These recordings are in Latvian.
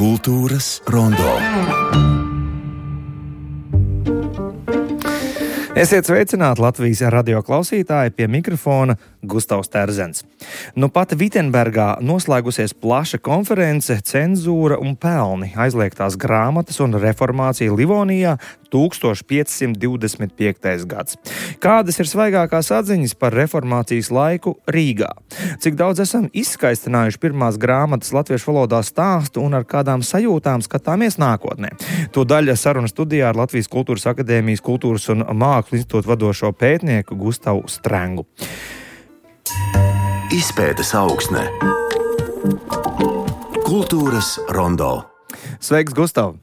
Kultūras rondo. Esiet sveicināti Latvijas radio klausītāji, pie mikrofona Gustavs Terzens. Nu pat Vitenbergā noslēgusies plaša konference Cenzūra un pelni - aizliegtās grāmatas un reformācija Livonijā 1525. gads. Kādas ir svaigākās atziņas par reformācijas laiku Rīgā? Cik daudz esam izskaistinājuši pirmās grāmatas latviešu valodā stāstu un ar kādām sajūtām skatāmies nākotnē? To daļa saruna studijā ar Latvijas Kultūras akadēmijas kultūras un mākslu institūta vadošo pētnieku Gustavu Strengu. Izpētes augsne. Kultūras rondo. Sveiks, Gustav!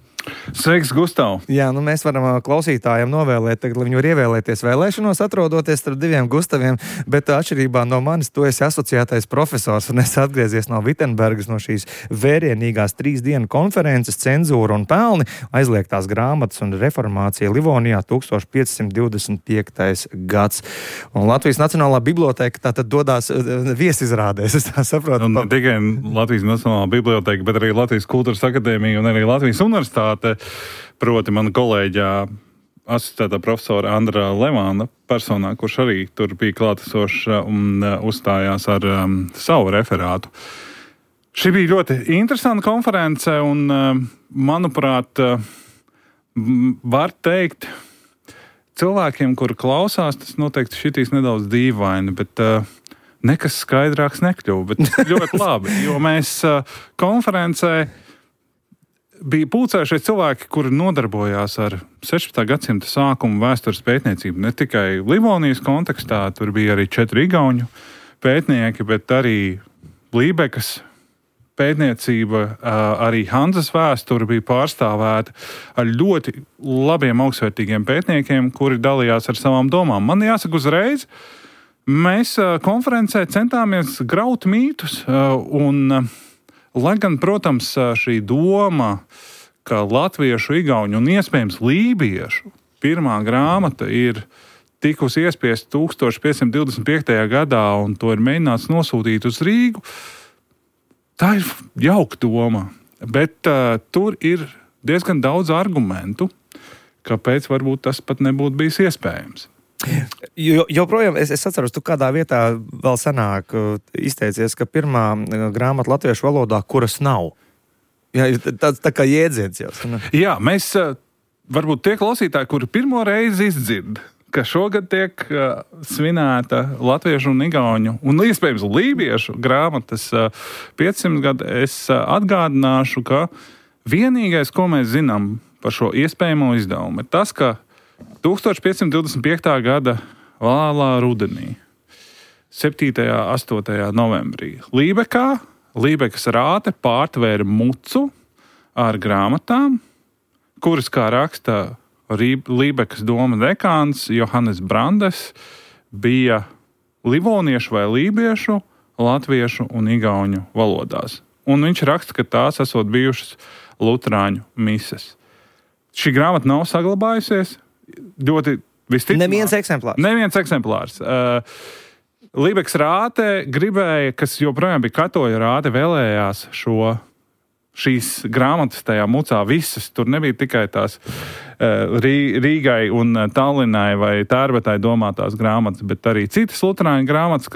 Sveiks, Gustav! Jā, mēs varam klausītājiem novēlēt, tagad, lai viņi var ievēlēties vēlēšanos, atrodoties starp diviem Gustaviem, bet atšķirībā no manis, tu esi asociētais profesors un es atgriezies no Vitenbergas, no šīs vērienīgās 3 dienu konferences Cenzūra un pelni, aizliegtās grāmatas un reformācija Livonijā 1525. gads. Un Latvijas Nacionālā biblioteka tātad dodās viesizrādēs, es tā saprotu. Un ne tikai Latvijas Nacionālā biblioteka, bet arī Latvijas Kultūras akadēmija un arī Latvijas universitāte. Proti mana kolēģa asociētā profesora Andra Levāna personā, kurš arī tur bija klātesošs un uzstājās ar savu referātu. Šī bija ļoti interesanta konference un, manuprāt, var teikt, cilvēkiem, kuri klausās, tas noteikti šitīs nedaudz dīvaini, bet nekas skaidrāks nekļuva, bet ļoti labi, jo mēs konferencē bija pulcējušies cilvēki, kuri nodarbojās ar 16. gadsimta sākumu vēstures pētniecību. Ne tikai Livonijas kontekstā, tur bija arī 4 igauņu pētnieki, bet arī Lībekas pētniecība, arī Hanzas vēsture bija pārstāvēta ar ļoti labiem, augstsvērtīgiem pētniekiem, kuri dalījās ar savām domām. Man jāsaka uzreiz, mēs konferencē centāmies graut mītus un lai gan, protams, šī doma, ka latviešu, igauņu un iespējams lībiešu pirmā grāmata ir tikusi iespiesta 1525. gadā un to ir mēģināts nosūtīt uz Rīgu, tā ir jauka doma, bet tur ir diezgan daudz argumentu, kāpēc varbūt tas pat nebūtu bijis iespējams. Joprojām es atceros, tu kādā vietā vēl senāk izteicies, ka pirmā grāmata latviešu valodā, kuras nav. Jā, tā kā jēdziens jau. Jā, mēs varbūt tie klausītāji, kuri pirmo reizi izdzird, ka šogad tiek svinēta latviešu un igauņu un iespējams lībiešu grāmatas 500 gadu, es atgādināšu, ka vienīgais, ko mēs zinām par šo iespējamo izdevumu, ir tas, ka 1525. gada vēlā rudenī, 7. 8. novembrī, Lībekas rāte pārtvēra mucu ar grāmatām, kuras, kā raksta Lībekas doma dekāns Johannes Brandes, bija livoniešu vai lībiešu, latviešu un igauņu valodās. Un viņš raksta, ka tās esot bijušas luterāņu mises. Šī grāmata nav saglabājusies. Ļoti Neviens eksemplārs. Lībekas rāte gribēja, kas joprojām bija katoļa rāte, vēlējās šīs grāmatas tajā mucā visas. Tur nebija tikai tās Rīgai un Tallinai vai Tērvetai domātās grāmatas, bet arī citas luterāņu grāmatas,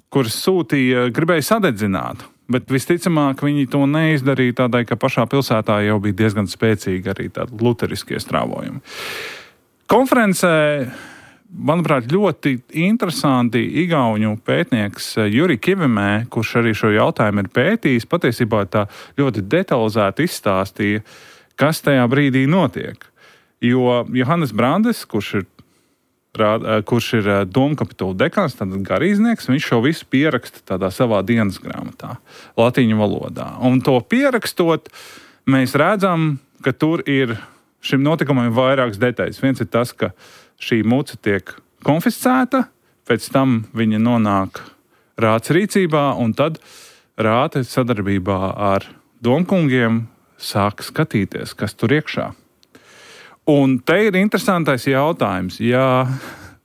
kuras sūtīja, gribēja sadedzināt. Bet visticamāk viņi to neizdarīja tādai, ka pašā pilsētā jau bija diezgan spēcīgi arī tādi luteriskie strāvojumi. Konferencē, manuprāt, ļoti interesanti igauņu pētnieks Juri Kivimē, kurš arī šo jautājumu ir pētījis, patiesībā tā ļoti detalizēti izstāstīja, kas tajā brīdī notiek. Jo Johannes Brandes, kurš ir domkapitula dekāns, tātad garīdznieks, viņš šo visu pieraksta tādā savā dienas grāmatā, latīņu valodā. Un to pierakstot, mēs redzam, ka tur ir šim notikumam vairākas detaļas. Viens ir tas, ka šī muca tiek konfiscēta, pēc tam viņa nonāk rātes rīcībā, un tad rāte sadarbībā ar domkungiem sāk skatīties, kas tur iekšā. Un te ir interesantais jautājums. Ja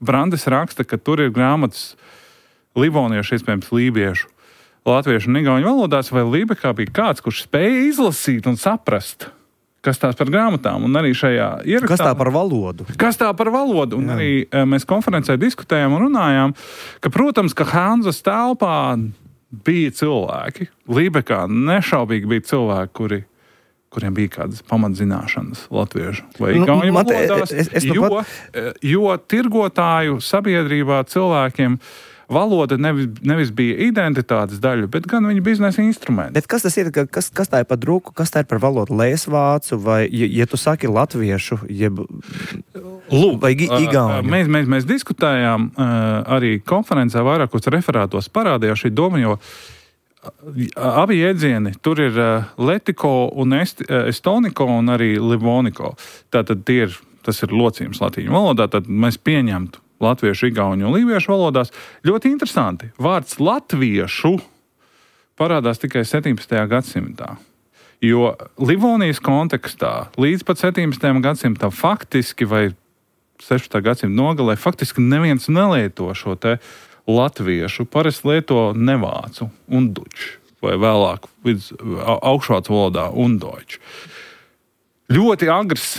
Brandes raksta, ka tur ir grāmatas livoniešu, iespējams lībiešu latviešu un igauņu valodās, vai Lībekā bija kāds, kurš spēja izlasīt un saprast, kas tās par grāmatām, un arī šajā ierakstā. Kas tā par valodu? Kas tā par valodu? Un arī mēs konferencē diskutējām un runājām, ka, protams, ka Hanzas telpā bija cilvēki. Lībekā nešaubīgi bija cilvēki, kuriem bija kādas pamatzināšanas latviešu vai igauņu valodās, jo tirgotāju sabiedrībā cilvēkiem valoda nevis bija identitātes daļa, bet gan viņa biznesa instrumenti. Bet kas tas ir? Kas tā ir par druku? Kas tā ir par valodu? Lēsvācu vai, ja tu saki latviešu, vai igauņu? Mēs diskutējām arī konferencē vairākos referātos parādījās šī doma, jo abi jēdzieni, tur ir letiko un estoniko un arī livoniko. Tātad tas ir locījums latīņu valodā, tad mēs pieņemtu latviešu, igauņu un lībiešu valodās. Ļoti interesanti. Vārds latviešu parādās tikai 17. gadsimtā. Jo Livonijas kontekstā līdz pat 17. gadsimtam faktiski vai 16. gadsimta nogalē faktiski neviens nelieto šo te latviešu. Parasti lieto nevācu un duču vai vēlāk augšvācu valodā un doču. Ļoti agrs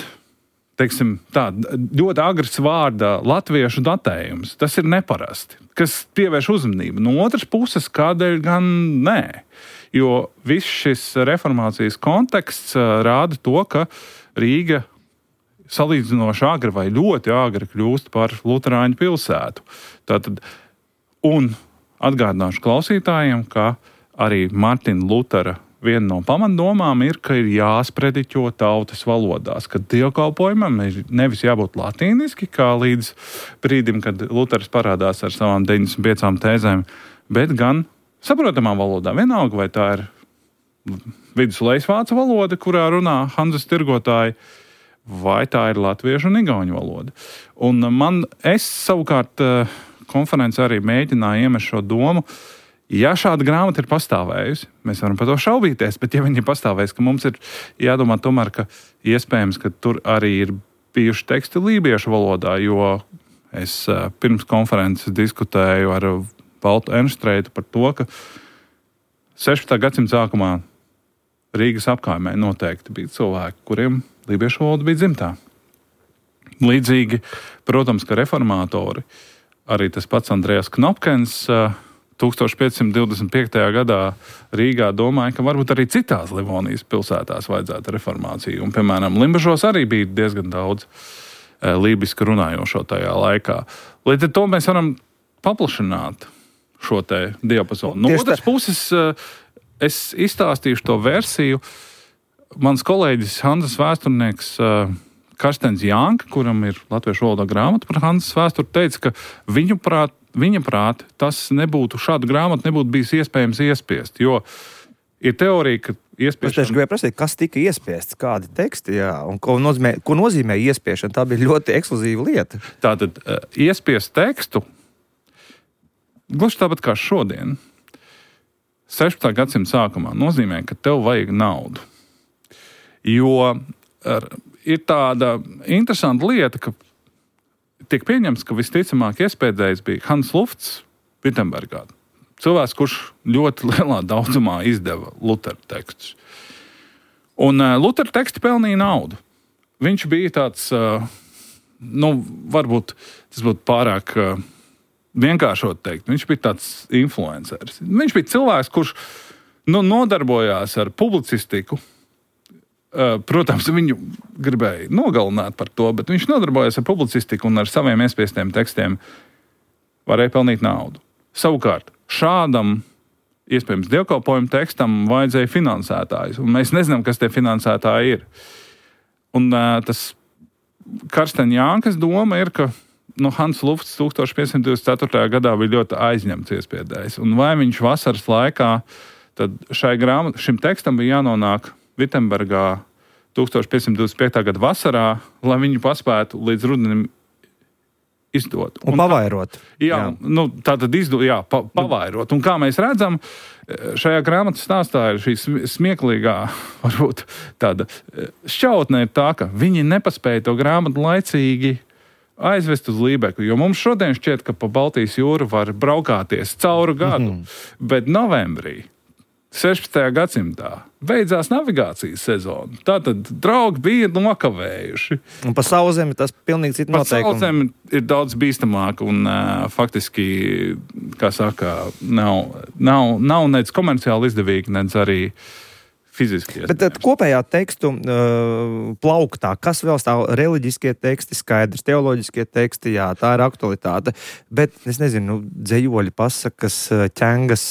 ļoti agrs vārda latviešu datējums. Tas ir neparasti, kas pievērš uzmanību. No otras puses, kādēļ gan nē? Jo viss šis reformācijas konteksts rāda to, ka Rīga salīdzinoši agri vai ļoti agri kļūst par luterāņu pilsētu. Tātad, un atgādināšu klausītājiem, ka arī Martina Lutera viena no pamatdomām ir, ka ir jāsprediķo tautas valodās, ka dievkalpojumam ir nevis jābūt latīniski, kā līdz brīdim, kad Luters parādās ar savām 95 tēzēm, bet gan saprotamā valodā. Vienalga, vai tā ir viduslejsvācu valoda, kurā runā Hanzas tirgotāji, vai tā ir latviešu un igauņu valoda. Un es savukārt konferencē arī mēģināju iemest šo domu. Ja šāda grāmata ir pastāvējusi, mēs varam par to šaubīties, bet ja viņa ir pastāvējusi, ka mums ir jādomā tomēr, ka iespējams, ka tur arī ir bijuši teksti lībiešu valodā, jo es pirms konferences diskutēju ar Valtu Enštreitu par to, ka 16. gadsimta sākumā Rīgas apkaimē noteikti bija cilvēki, kuriem lībiešu valoda bija dzimtā. Līdzīgi, protams, ka reformātori, arī tas pats Andrejas Knopkens 1525. gadā Rīgā domāja, ka varbūt arī citās Livonijas pilsētās vajadzētu reformāciju. Un, piemēram, Limbažos arī bija diezgan daudz lībiski runājošo tajā laikā. Līdz ar to mēs varam paplašināt šo te diapazonu. No otras puses, es izstāstīšu to versiju. Mans kolēģis Hanzas vēsturnieks Karstens Janka, kuram ir latviešu valodā grāmata par Hanzas vēsturi, teica, ka viņa prāt šādu grāmatu nebūtu bijis iespējams iespiest, jo ir teorija, ka iespiešana... Es gribēju prasīt, kas tika iespiests, kādi teksti, jā, un ko nozīmē iespiešana, tā bija ļoti ekskluzīva lieta. Tātad iespiest tekstu, gluži tāpat kā šodien, 16. gadsimta sākumā nozīmē, ka tev vajag naudu. Jo ir tāda interesanta lieta, ka tiek pieņemts, ka visticamāk iespēdējis bija Hans Lufts Vitsenbergā. Cilvēks, kurš ļoti lielā daudzumā izdeva Lutera tekstus. Un Lutera teksti pelnīja naudu. Viņš bija tāds, varbūt tas būtu pārāk vienkāršot teikt, viņš bija tāds influenceris. Viņš bija cilvēks, kurš nodarbojās ar publicistiku. Protams, viņu gribēja nogalināt par to, bet viņš nodarbojas ar publicistiku un ar saviem iespiestiem tekstiem varēja pelnīt naudu. Savukārt, šādam, iespējams, dievkalpojumu tekstam vajadzēja finansētājus, un mēs nezinām, kas tie finansētāji ir. Un tas Karsten Jankas doma ir, ka Hans Lufts 1524. gadā bija ļoti aizņemts iespiedējs, un vai viņš vasaras laikā, tad šim tekstam bija jānonāk Vitsenbergā 1525. gada vasarā, lai viņu paspētu līdz rudenim izdot. Un pavairot. Tātad pavairot. Un kā mēs redzam, šajā grāmatas stāstā ir šī smieklīgā, varbūt tāda šķautne ir tā, ka viņi nepaspēja to grāmatu laicīgi aizvest uz Lībeku, jo mums šodien šķiet, ka pa Baltijas jūru var braukāties cauru gadu, bet novembrī 16. gadsimtā beidzās navigācijas sezona. Tātad draugi bija nokavējumi. Un pa sauszemi tas pilnīgi cits noteikums. Pa sauszemi ir daudz bīstamāk un faktiski, kā saka, nav nec komerciāli izdevīgi, nec arī fiziski. Bet kopējā tekstu plauktā, kas vēl stāv? Reliģiskie teksti skaidrs, teoloģiskie teksti, jā, tā ir aktualitāte. Bet, es nezinu, dzējoļi, pasakas, ķengas,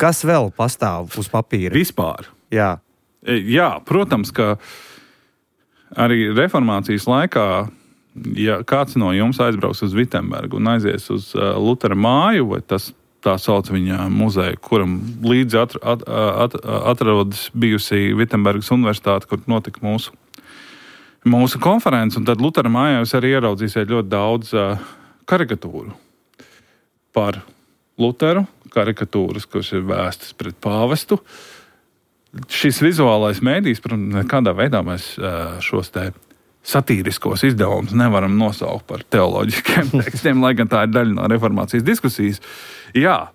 kas vēl pastāv uz papīra? Vispār. Jā. Jā, protams, ka arī reformācijas laikā, ja kāds no jums aizbrauks uz Vitsenbergu un aizies uz Lutera māju, vai tas tā sauc viņa muzeju, kuram līdzi atrodas bijusi Vitsenbergas universitāte, kur notika mūsu konferences, un tad Lutera mājā jūs arī ieraudzīsiet ļoti daudz karikatūru par Luteru, karikatūras, kuras ir vēstas pret pāvestu. Šis vizuālais mēdījis, protams, nekādā veidā mēs šos te satīriskos izdevumus nevaram nosaukt par teoloģiskiem tekstiem, lai gan tā ir daļa no reformācijas diskusijas. Jā,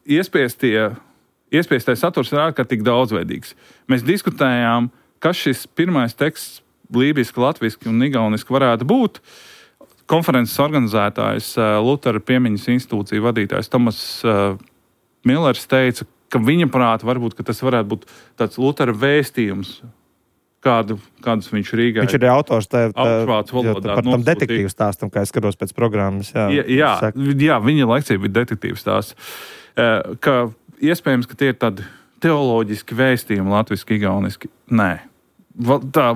iespiestais saturs ir ārkārtīgi daudzveidīgs. Mēs diskutējām, kas šis pirmais teksts lībiski, latviski un igauniski varētu būt. Konferences organizētājs, Lutera piemiņas institūcija vadītājs Tomas Millers teica, ka viņa prāta varbūt, ka tas varētu būt tāds Lutera vēstījums, kādus viņš Rīgā... Viņš ir autors augšvācu valodā par tam detektīvu stāstam, kā es skatos pēc programmas. Jā, viņa lekcija bija detektīvu stāsts. Ka iespējams, ka tie ir tādi teoloģiski vēstījumi latviski, igauniski. Nē. Tā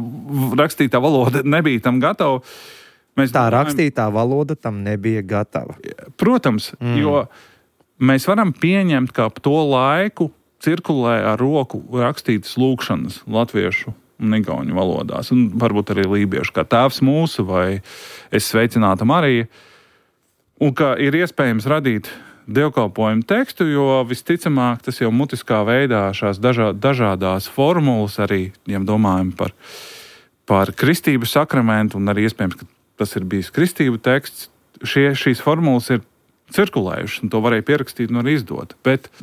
rakstītā valoda nebija tam gatava. Rakstītā valoda tam nebija gatava. Protams, jo mēs varam pieņemt, ka ap to laiku cirkulē ar roku rakstītas lūkšanas latviešu un igauņu valodās, un varbūt arī lībiešu, kā Tēvs mūsu vai Es sveicināta Marija, un ka ir iespējams radīt dievkalpojumu tekstu, jo visticamāk tas jau mutiskā veidā šās dažādās formulas arī, ja domājam par kristību sakramentu, un arī iespējams, ka tas ir bijis kristību teksts, šīs formulas ir cirkulējušas, un to varēja pierakstīt un arī izdot, bet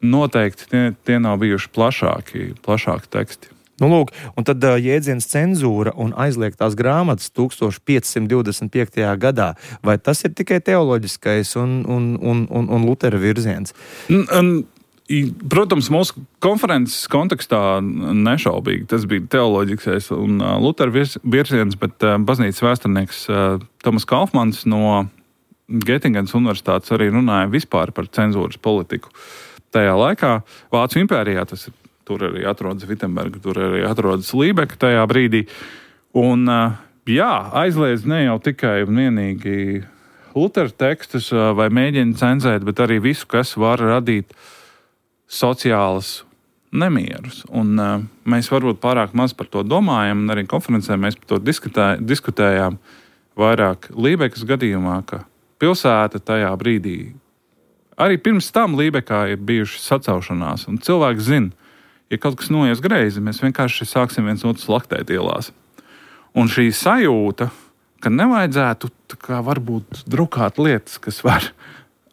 noteikti tie nav bijuši plašāki teksti. Nu, lūk, un tad jēdziens cenzūra un aizliegtās grāmatas 1525. gadā. Vai tas ir tikai teoloģiskais un Lutera virziens? Protams, mūsu konferences kontekstā nešaubīgi tas bija teoloģiskais un Lutera virziens, bet baznīcas vēsturnieks Tomas Kaufmans no Getingenas universitātes arī runāja vispār par cenzūras politiku. Tajā laikā Vācu impērijā tas ir. Tur arī atrodas Vitsenberga, tur arī atrodas Lībeka tajā brīdī. Un, aizliedz ne jau tikai un vienīgi Lutera tekstus vai mēģina cenzēt, bet arī visu, kas var radīt sociālas nemierus. Un mēs varbūt pārāk maz par to domājam, un arī konferencē mēs par to diskutējām vairāk Lībekas gadījumā, ka pilsēta tajā brīdī, arī pirms tam Lībekā ir bijušas sacaušanās, un cilvēks zina, ja kaut kas noies greizi, mēs vienkārši sāksim viens otru slaktēt ielās. Un šī sajūta, ka nevajadzētu varbūt drukāt lietas, kas var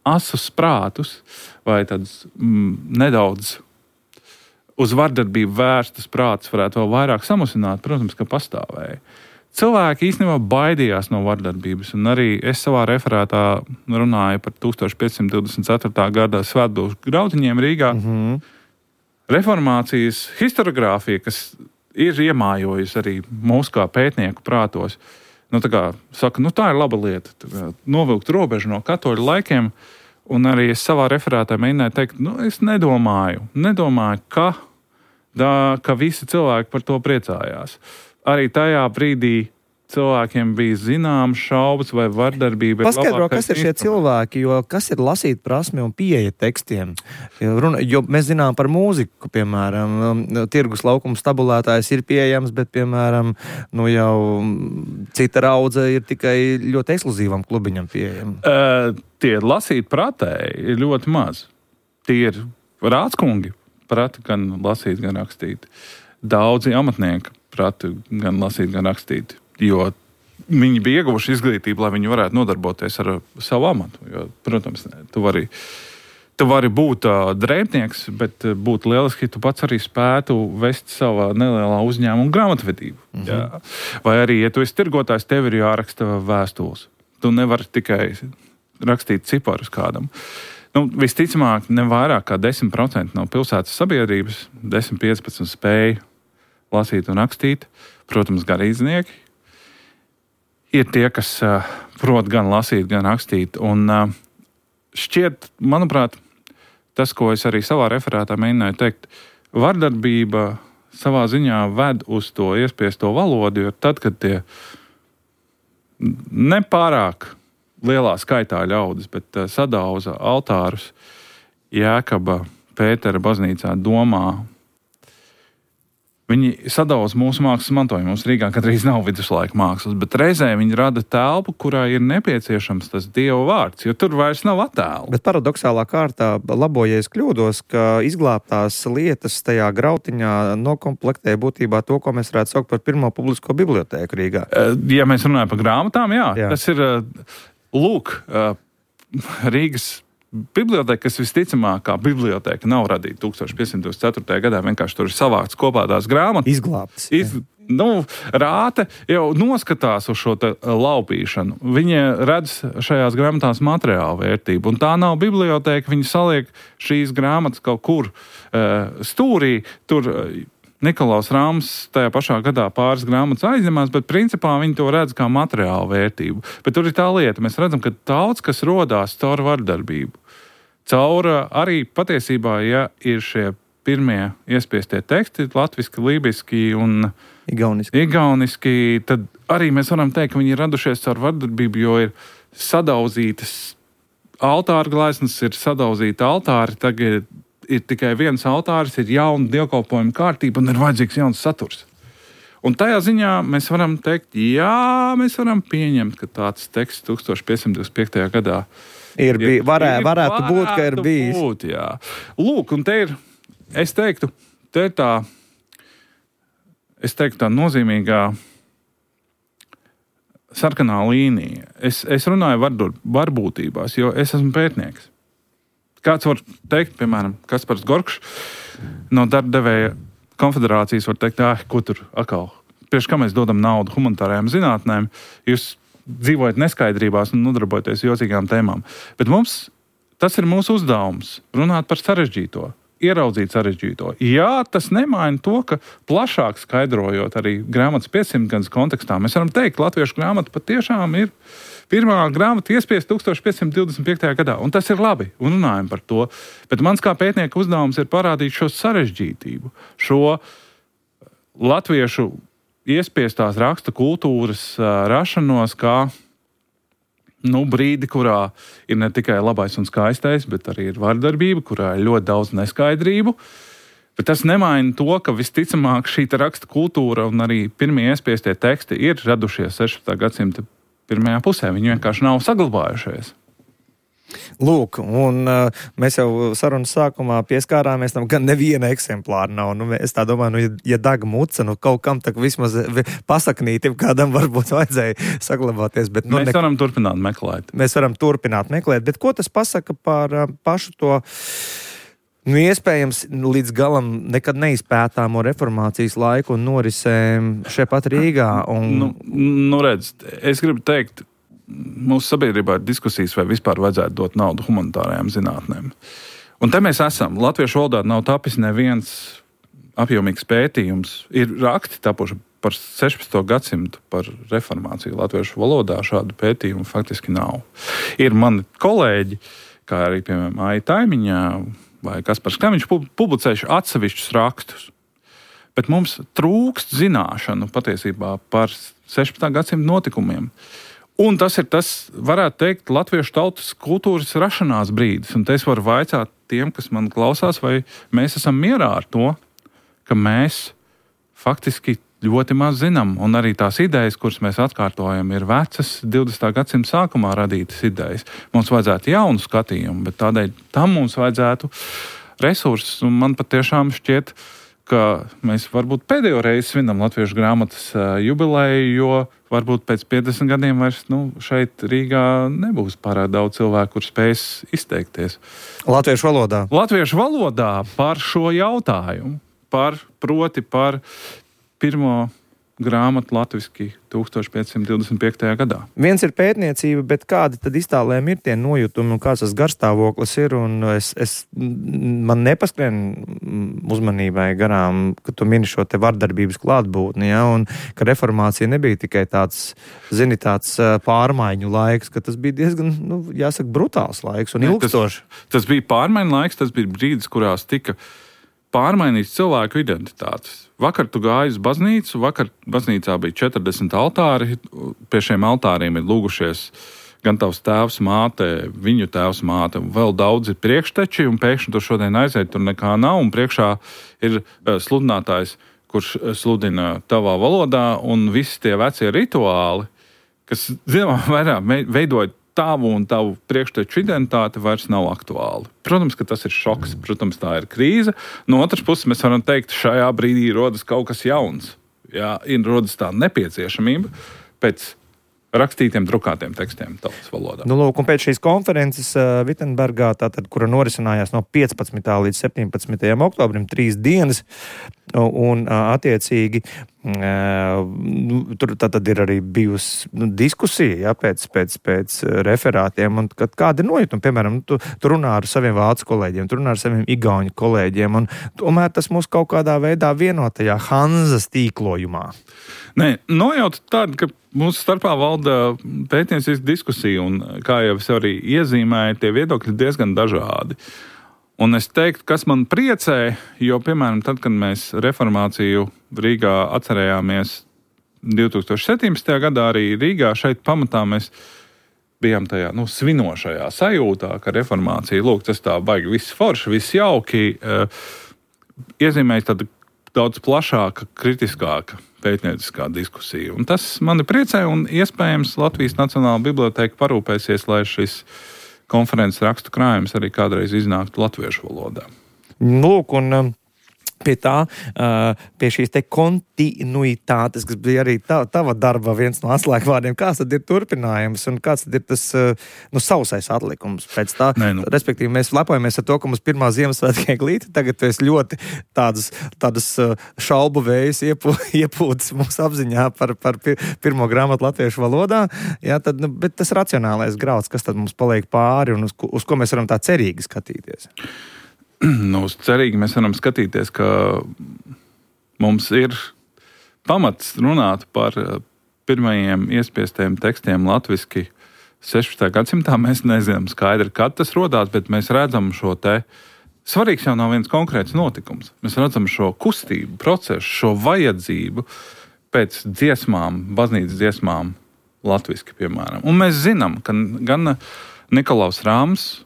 asus prātus vai tādas nedaudz uz vardarbību vērstas prātus varētu vēl vairāk samazināt, protams, ka pastāvēja. Cilvēki īstenībā baidījās no vardarbības, un arī es savā referātā runāju par 1524. gada svētdienas grautiņiem Rīgā. Reformācijas historiogrāfija, kas ir iemājojusi arī mūsu kā pētnieku prātos, saka, tā ir laba lieta, novilkt robežu no katoļu laikiem, un arī es savā referātā mēģināju teikt, es nedomāju, ka visi cilvēki par to priecājās. Arī tajā brīdī cilvēkiem bija zināmas šaubas vai vardarbība. Paskaidro, kas ir šie cilvēki, jo kas ir lasīt prasme un pieeja tekstiem? Jo mēs zinām par mūziku, piemēram, tirgus laukuma stabulētājs ir pieejams, bet, piemēram, jau cita raudze ir tikai ļoti ekskluzīvam klubiņam pieejama. Tie lasīt pratēji ir ļoti maz. Tie ir rādskungi prati gan lasīt, gan rakstīt. Daudzi amatnieki prati gan lasīt, gan rakstīt. Jo viņi bija ieguvuši izglītību, lai viņi varētu nodarboties ar savu amatu. Jo, protams, tu vari būt drēbnieks, bet būtu lieliski, ja tu pats arī spētu vest savā nelielā uzņēmuma grāmatvedību. Jā. Vai arī, ja tu esi tirgotājs, tev ir jāraksta vēstules. Tu nevari tikai rakstīt ciparus kādam. Visticamāk, ne vairāk kā 10% no pilsētas sabiedrības, 10-15 spēja lasīt un rakstīt, protams, garīdznieki, ir tie, kas prot gan lasīt, gan rakstīt. Un šķiet, manuprāt, tas, ko es arī savā referātā mēģināju teikt, vardarbība savā ziņā ved uz to iespiesto valodu, jo tad, kad tie nepārāk lielā skaitā ļaudis, bet sadauza altārus Jēkaba Pētera baznīcā domā. Viņi sadauza mūsu mākslas mantojumu. Mums Rīgā kādreiz nav viduslaika mākslas, bet reizē viņi rada telpu, kurā ir nepieciešams tas Dieva vārds, jo tur vairs nav attēlu. Bet paradoxālā kārtā, labojies kļūdos, ka izglābtās lietas tajā grautiņā nokomplektē būtībā to, ko mēs varētu saukt par pirmo publisko bibliotēku Rīgā. Ja mēs runājam par grāmatām, jā. Tas ir, Rīgas biblioteka, kas visticamāk kā biblioteka nav radīta 1524. gadā, vienkārši tur ir savākts kopā tās grāmatas. Izglābtas. Rāte jau noskatās uz šo laupīšanu. Viņi redz šajās grāmatās materiālu vērtību, un tā nav biblioteka, viņi saliek šīs grāmatas kaut kur stūrī, tur Nikolaus Rāms tajā pašā gadā pāris grāmatas aizņemās, bet principā viņi to redz kā materiālu vērtību. Bet tur ir tā lieta, mēs redzam, ka daudz kas rodās caur vardarbību. Caur arī patiesībā, ja ir šie pirmie iespiestie teksti, latviski, lībiski un igauniski, tad arī mēs varam teikt, ka viņi ir radušies caur vardarbību, jo ir sadauzītas altāra gleznas, ir sadauzīti altāri, tagad ir tikai viens altāris, ir jauna dievkalpojuma kārtība un ir vajadzīgs jauns saturs. Un tajā ziņā mēs varam teikt, jā, mēs varam pieņemt, ka tāds teksts 1525. gadā varētu būt, ka ir bijis. Jā. Lūk, un te ir, es teiktu tā nozīmīgā sarkanā līnija. Es runāju varbūtībās, jo es esmu pētnieks. Kāds var teikt, piemēram, Kaspars Gorkšs no darbdevēja konfederācijas var teikt, ko tur atkal, priekš kā mēs dodam naudu humanitārajām zinātnēm, jūs dzīvojat neskaidrībās un nodarbojaties jocīgām tēmām. Bet tas ir mūsu uzdevums runāt par sarežģīto, ieraudzīt sarežģīto. Jā, tas nemaina to, ka plašāk skaidrojot arī grāmatas 500 gadus kontekstā, mēs varam teikt, latviešu grāmata patiešām ir pirmā grāmata iespiesta 1525. gadā, un tas ir labi, un runājam par to. Bet mans kā pētnieka uzdevums ir parādīt šo sarežģītību, šo latviešu iespiestās raksta kultūras rašanos kā brīdi, kurā ir ne tikai labais un skaistais, bet arī ir vardarbība, kurā ir ļoti daudz neskaidrību. Bet tas nemaina to, ka visticamāk šī raksta kultūra un arī pirmie iespiestie teksti ir radušies 16. gadsimta pirmajā pusē. Viņi vienkārši nav saglabājušies. Lūk, un mēs jau sarunas sākumā pieskārāmies tam, ka neviena eksemplāra nav. Es tā domāju, ja daga muca, kaut kam tak vismaz pasaknītim kādam varbūt vajadzēja saglabāties. Bet, mēs varam turpināt meklēt. Mēs varam turpināt meklēt, bet ko tas pasaka par pašu to iespējams līdz galam nekad neizpētāmo reformācijas laiku un norisēm šeit pat Rīgā? Redz, es gribu teikt, mūsu sabiedrībā ir diskusijas, vai vispār vajadzētu dot naudu humanitārajām zinātnēm. Un te mēs esam. Latviešu valodā nav tapis neviens apjomīgs pētījums. Ir raksti tapuši par 16. gadsimtu par reformāciju latviešu valodā. Šādu pētījumu faktiski nav. Ir mani kolēģi, kā arī, piemēram, Aija Taimiņā vai Kaspars Kamiņš publicējuši atsevišķus rakstus. Bet mums trūkst zināšanu patiesībā par 16. gadsimta notikumiem. Un tas ir varētu teikt, latviešu tautas kultūras rašanās brīdis. Un te es varu vaicāt tiem, kas man klausās, vai mēs esam mierā ar to, ka mēs faktiski ļoti maz zinām. Un arī tās idejas, kuras mēs atkārtojam, ir vecas 20. gadsimta sākumā radītas idejas. Mums vajadzētu jaunu skatījumu, bet tādēļ tam mums vajadzētu resursus. Un man patiešām šķiet, ka mēs varbūt pēdējo reizi svinam Latviešu grāmatas jubileju, jo varbūt pēc 50 gadiem vairs šeit Rīgā nebūs pārāk daudz cilvēku, kur spēs izteikties. Latviešu valodā. Latviešu valodā par šo jautājumu, par pirmo grāmatu latviski 1525. gadā. Viens ir pētniecība, bet kādi tad iztālēm ir tie nojutumi un kāds tas garstāvoklis ir? Un man nepaskrien uzmanībai garām, ka tu mini šo te vardarbības klātbūtni, ja, un ka reformācija nebija tikai tāds pārmaiņu laiks, ka tas bija diezgan, jāsaka, brutāls laiks un ilgstošs. Tas bija pārmaiņu laiks, tas bija brīdis, kurās tika pārmainīts cilvēku identitātes. Vakar tu gāji uz baznīcu, vakar baznīcā bija 40 altāri, pie šiem altāriem ir lūgušies gan tavs tēvs, māte, viņu tēvs, māte, un vēl daudzi priekšteči, un pēkšņi tu šodien aiziet, tur nekā nav, un priekšā ir sludinātājs, kurš sludina tavā valodā, un visi tie vecie rituāli, kas, zinām, vairāk veidoja tavu un tavu priekšteču identitāti vairs nav aktuāli. Protams, ka tas ir šoks, protams, tā ir krīze. No otras puses, mēs varam teikt, šajā brīdī rodas kaut kas jauns. Jā, rodas tā nepieciešamība pēc rakstītiem, drukātiem tekstiem tautas valodā. Lūk, un pēc šīs konferences Vitsenbergā, kura norisinājās no 15. līdz 17. oktobrim, 3 dienas, un attiecīgi tur tad ir arī bijusi diskusija, ja, pēc referātiem, un kādi ir nojutumi, piemēram, tu runā ar saviem vācu kolēģiem, tu runā ar saviem igauņu kolēģiem, un tomēr tas mūs kaut kādā veidā vienotajā Hanzas tīklojumā. Nē, nojauta tāda, ka mūsu starpā valda pētniecības diskusija, un kā jau es arī iezīmēju, tie viedokļi diezgan dažādi. Un es teiktu, kas man priecē, jo, piemēram, tad, kad mēs reformāciju Rīgā atcerējāmies 2017. gadā, arī Rīgā šeit pamatā mēs bijām tajā svinošajā sajūtā, ka reformācija, lūk, tas tā baigi viss forši, viss jauki, iezīmējas tāda daudz plašāka, kritiskāka pētnieciskā diskusija. Un tas mani priecē, un iespējams Latvijas Nacionālā biblioteka parūpēsies, lai šis konferences rakstu krājums arī kādreiz iznāktu latviešu valodā. Lūk, un pie šīs te kontinuitātes, kas bija arī tava darba viens no atslēgvārdiem, kāds tad ir turpinājums un kāds tad ir tas sausais atlikums pēc tā? Respektīvi, mēs lepojamies ar to, ka mums pirmā Ziemassvētku eglīte, tagad tu esi ļoti tādas šaubu vējas iepūtas mūsu apziņā par pirmo grāmatu latviešu valodā, jā, tad, bet tas racionālais grauds, kas tad mums paliek pāri un uz ko mēs varam tā cerīgi skatīties? Cerīgi mēs varam skatīties, ka mums ir pamats runāt par pirmajiem iespiestiem tekstiem latviski 16. gadsimtā. Mēs nezinām skaidri, kad tas rodās, bet mēs redzam šo te. Svarīgs jau nav viens konkrēts notikums. Mēs redzam šo kustību, procesu, šo vajadzību pēc dziesmām, baznīcas dziesmām latviski, piemēram. Un mēs zinām, ka gan Nikolaus Rāms,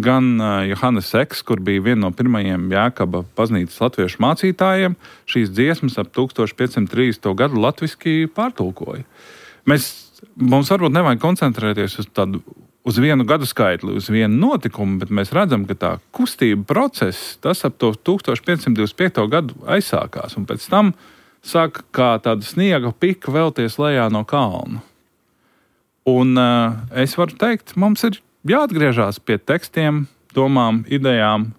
gan Johannes Eks, kur bija viena no pirmajiem Jēkaba baznīcas latviešu mācītājiem, šīs dziesmas ap 1530. gadu latviski pārtulkoja. Mums varbūt nevajag koncentrēties uz vienu gadu skaitli, uz vienu notikumu, bet mēs redzam, ka tā kustība process, tas ap to 1525. gadu aizsākās, un pēc tam sāk kā tāda sniega pika vēlties lejā no kalna. Un es varu teikt, mums ir jāatgriežās pie tekstiem, domām, idejām,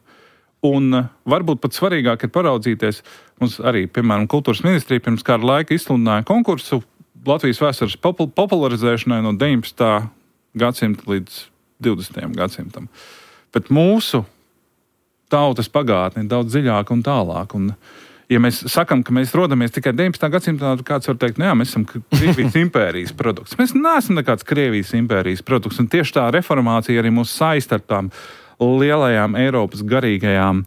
un varbūt pat svarīgāk ir paraudzīties. Mums arī, piemēram, kultūras ministrija pirms kāda laika izsludināja konkursu Latvijas vēstures popularizēšanai no 19. gadsimta līdz 20. gadsimtam. Bet mūsu tautas pagātne ir daudz dziļāka un tālāk. Un, ja mēs sakam, ka mēs rodamies tikai 19. gadsimtā, tad kāds var teikt, jā, mēs esam Krievijas impērijas produkts. Mēs neesam nekāds Krievijas impērijas produkts, un tieši tā reformācija arī mūs saista ar tām lielajām Eiropas garīgajām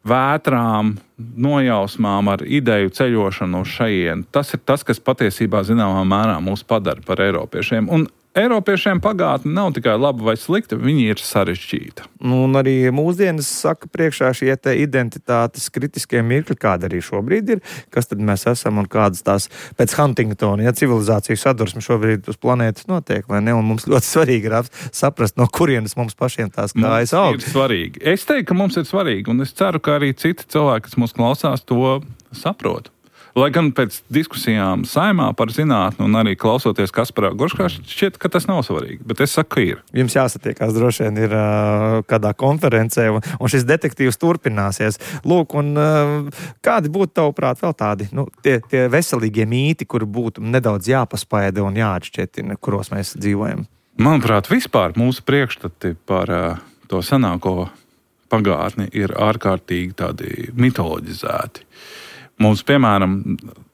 vētrām, nojausmām, ar ideju ceļošanu uz šajienu. Tas ir tas, kas patiesībā zināmā mērā mūs padara par eiropiešiem. Un Eiropiešiem pagātne nav tikai laba vai slikta, viņi ir sarežģīta. Un arī mūsdienas saka priekšā šie te identitātes kritiskie mirkļi, kāda arī šobrīd ir, kas tad mēs esam un kādas tās pēc Huntingtona, civilizācijas sadursme šobrīd uz planētas notiek, vai ne? Un mums ļoti svarīgi ir saprast, no kurienes mums pašiem tās kājas aug. Ir svarīgi. Es teiktu, ka mums ir svarīgi, un es ceru, ka arī citi cilvēki, kas mūs klausās, to saprot. Lai gan pēc diskusijām Saeimā par zinātni un arī klausoties Kasparā Gorškā, šķiet, ka tas nav svarīgi, bet es saku, ka ir. Jums jāsatiekās droši vien ir kādā konferencē, un šis detektīvs turpināsies. Lūk, un kādi būtu tavuprāt vēl tādi, tie veselīgie mīti, kuri būtu nedaudz jāpaspaida un jāatšķetina, kuros mēs dzīvojam? Manuprāt, vispār mūsu priekšstati par to senāko pagātni ir ārkārtīgi tādi mitoloģizēti. Mums, piemēram,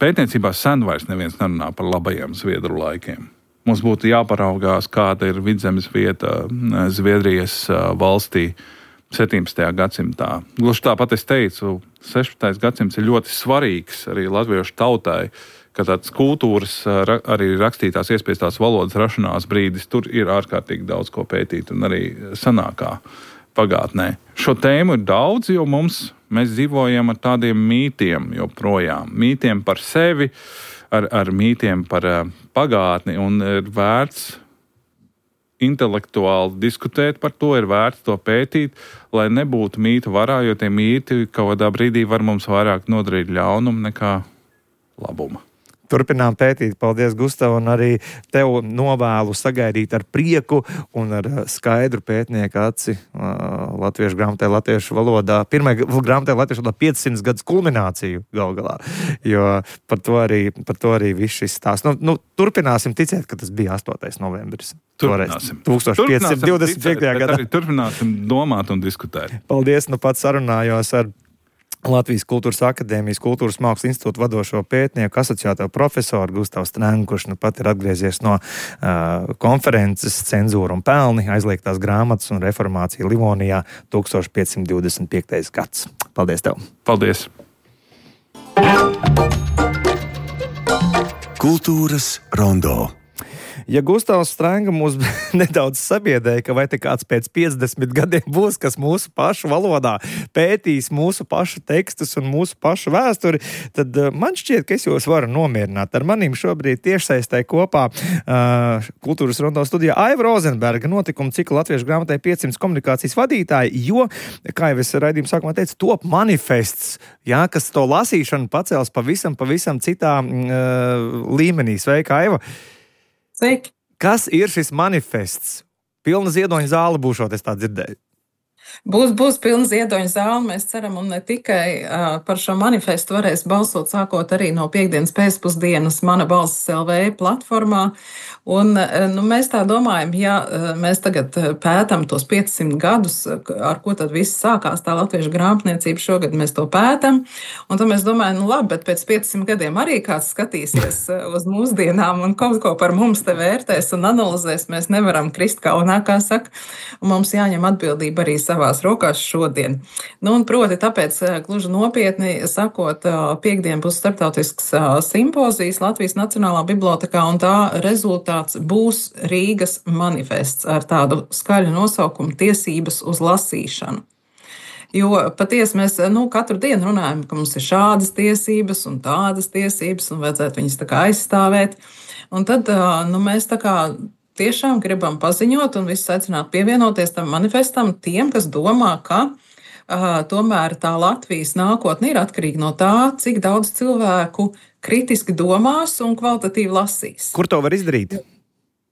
pētniecībā sen vairs neviens nerunā par labajiem Zviedru laikiem. Mums būtu jāparaugās, kāda ir Vidzemes vieta Zviedrijas valstī 17. gadsimtā. Gluži tāpat es teicu, 16. gadsimts ir ļoti svarīgs arī latviešu tautai, ka tāds kultūras, arī rakstītās iespiestās valodas rašanās brīdis, tur ir ārkārtīgi daudz ko pētīt un arī senākā pagātnē. Šo tēmu ir daudz, jo mēs dzīvojam ar tādiem mītiem joprojām. Mītiem par sevi, ar mītiem par pagātni, un ir vērts intelektuāli diskutēt par to, ir vērts to pētīt, lai nebūtu mītu varā, jo tie mīti kaut kādā brīdī var mums vairāk nodarīt ļaunumu nekā labuma. Turpinām pētīt. Paldies, Gustav, un arī tev novēlu sagaidīt ar prieku un ar skaidru pētnieku aci latviešu grāmatē, latviešu valodā. Pirmajā grāmatē latviešu valodā 500 gadus kulmināciju gal galā, jo par to arī viss šis stāsts. Turpināsim ticēt, ka tas bija 8. novembris. Turpināsim. 1525. gadā. Turpināsim domāt un diskutēt. Paldies, pats sarunājos ar Latvijas Kultūras akadēmijas Kultūras mākslas institūta vadošo pētnieku asociēto profesoru Gustavu Strēngu, kurš pat ir atgriezies no konferences Cenzūra un pelni, aizliegtās grāmatas un reformācija Livonijā 1525. gads. Paldies tev! Paldies! Kultūras rondo. Ja Gustavs Strēnga mūs nedaudz sabiedēja, ka vai te kāds pēc 50 gadiem būs, kas mūsu pašu valodā pētīs mūsu pašu tekstus un mūsu pašu vēsturi, tad man šķiet, ka es jūs varu nomierināt. Ar manim šobrīd tiešsaistē kopā Kultūras rondo studijā Aiva Rozenberga, notikuma cikla latviešu grāmatai 500 komunikācijas vadītāji, jo, kā jau es raidījuma sākumā teicu, top manifests, kas to lasīšanu pacels pavisam citā līmenī. Sveika, Aiva! Sveiki. Kas ir šis manifests? Pilna ziedoņa zāle būšot, es tā dzirdēju. Būs pilna ziedoņa zāle, mēs ceram, un ne tikai par šo manifestu varēs balsot sākot arī no piektdienas pēcpusdienas Mana balss LV platformā. Un mēs tā domājam, ja mēs tagad pētam tos 500 gadus, ar ko tad viss sākās tā latviešu grāmatniecība, šogad mēs to pētam, un tad mēs domājam, labi, bet pēc 500 gadiem arī kāds skatīsies uz mūsdienām un kaut ko par mums te vērtēs un analizēs, mēs nevaram krist kaunā, kā saka, un mums jāņem atbildība arī savās rokās šodien. Un proti, tāpēc gluži nopietni sakot, piektdien būs starptautisks simpozijas Latvijas Nacionālā bibliotēkā, un tā rezultāts būs Rīgas manifests ar tādu skaļu nosaukumu Tiesības uz lasīšanu. Jo patiesi mēs katru dienu runājam, ka mums ir šādas tiesības un tādas tiesības un vajadzētu viņas tā kā aizstāvēt. Un tad mēs tā kā tiešām gribam paziņot un visus aicināt pievienoties tam manifestam tiem, kas domā, ka tomēr tā Latvijas nākotne ir atkarīga no tā, cik daudz cilvēku kritiski domās un kvalitatīvi lasīs. Kur to var izdarīt?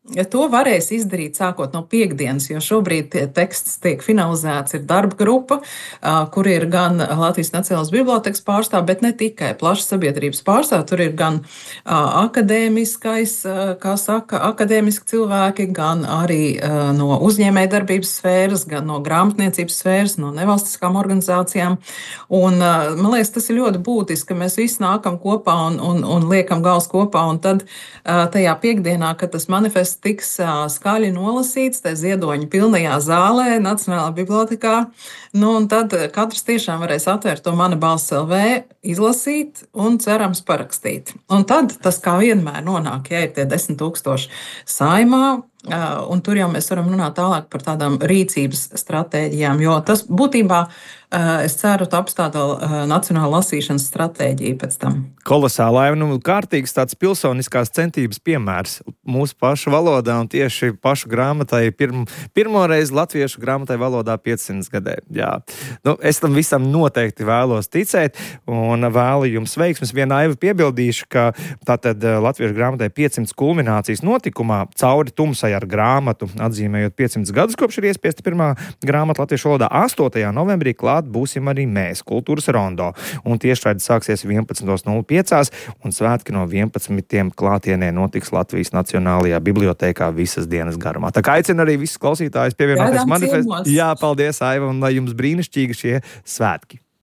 To varēs izdarīt sākot no piektdienas, jo šobrīd teksts tiek finalizēts, ir darba grupa, kur ir gan Latvijas Nacionālās bibliotēkas pārstāv, bet ne tikai plašas sabiedrības pārstāv, tur ir gan akadēmiskais, kā saka, akadēmiski cilvēki, gan arī no uzņēmējdarbības sfēras, gan no grāmatniecības sfēras, no nevalstiskām organizācijām. Un man liekas, tas ir ļoti būtiski, ka mēs visi nākam kopā un liekam gals kopā, un tad tajā piektdienā, kad tas manifests tiks skaļi nolasīts, te ziedoņa pilnajā zālē, Nacionālā bibliotēkā, un tad katrs tiešām varēs atvērt to Mana balss LV, izlasīt un cerams parakstīt. Un tad tas kā vienmēr nonāk, ja ir tie 10 000 Saeimā, Un tur jau mēs varam runāt tālāk par tādām rīcības stratēģijām, jo tas būtībā, es ceru, taps tāda nacionāla lasīšanas stratēģija pēc tam. Kolosālai, kārtīgs tāds pilsoniskās centības piemērs mūsu pašu valodā un tieši pašu grāmatai pirmoreiz latviešu grāmatai valodā 500 gadē. Jā. Es tam visam noteikti vēlos ticēt un vēlu jums veiksmes. Viena Aiva piebildīšu, ka tātad latviešu grāmatai 500 kulminācijas notikumā cauri tumsai ar grāmatu, atzīmējot 500 gadus, kopš ir iespiesta pirmā grāmata latviešu valodā. 8. novembrī klāt būsim arī mēs, Kultūras rondo. Un tiešraidi sāksies 11.05 un svētki no 11. klātienē notiks Latvijas Nacionālajā bibliotēkā visas dienas garumā. Tā kā aicinu arī visus klausītājus pievienoties manifestam. Jā, paldies, Aiva, un lai jums brīnišķīgi šie svētki.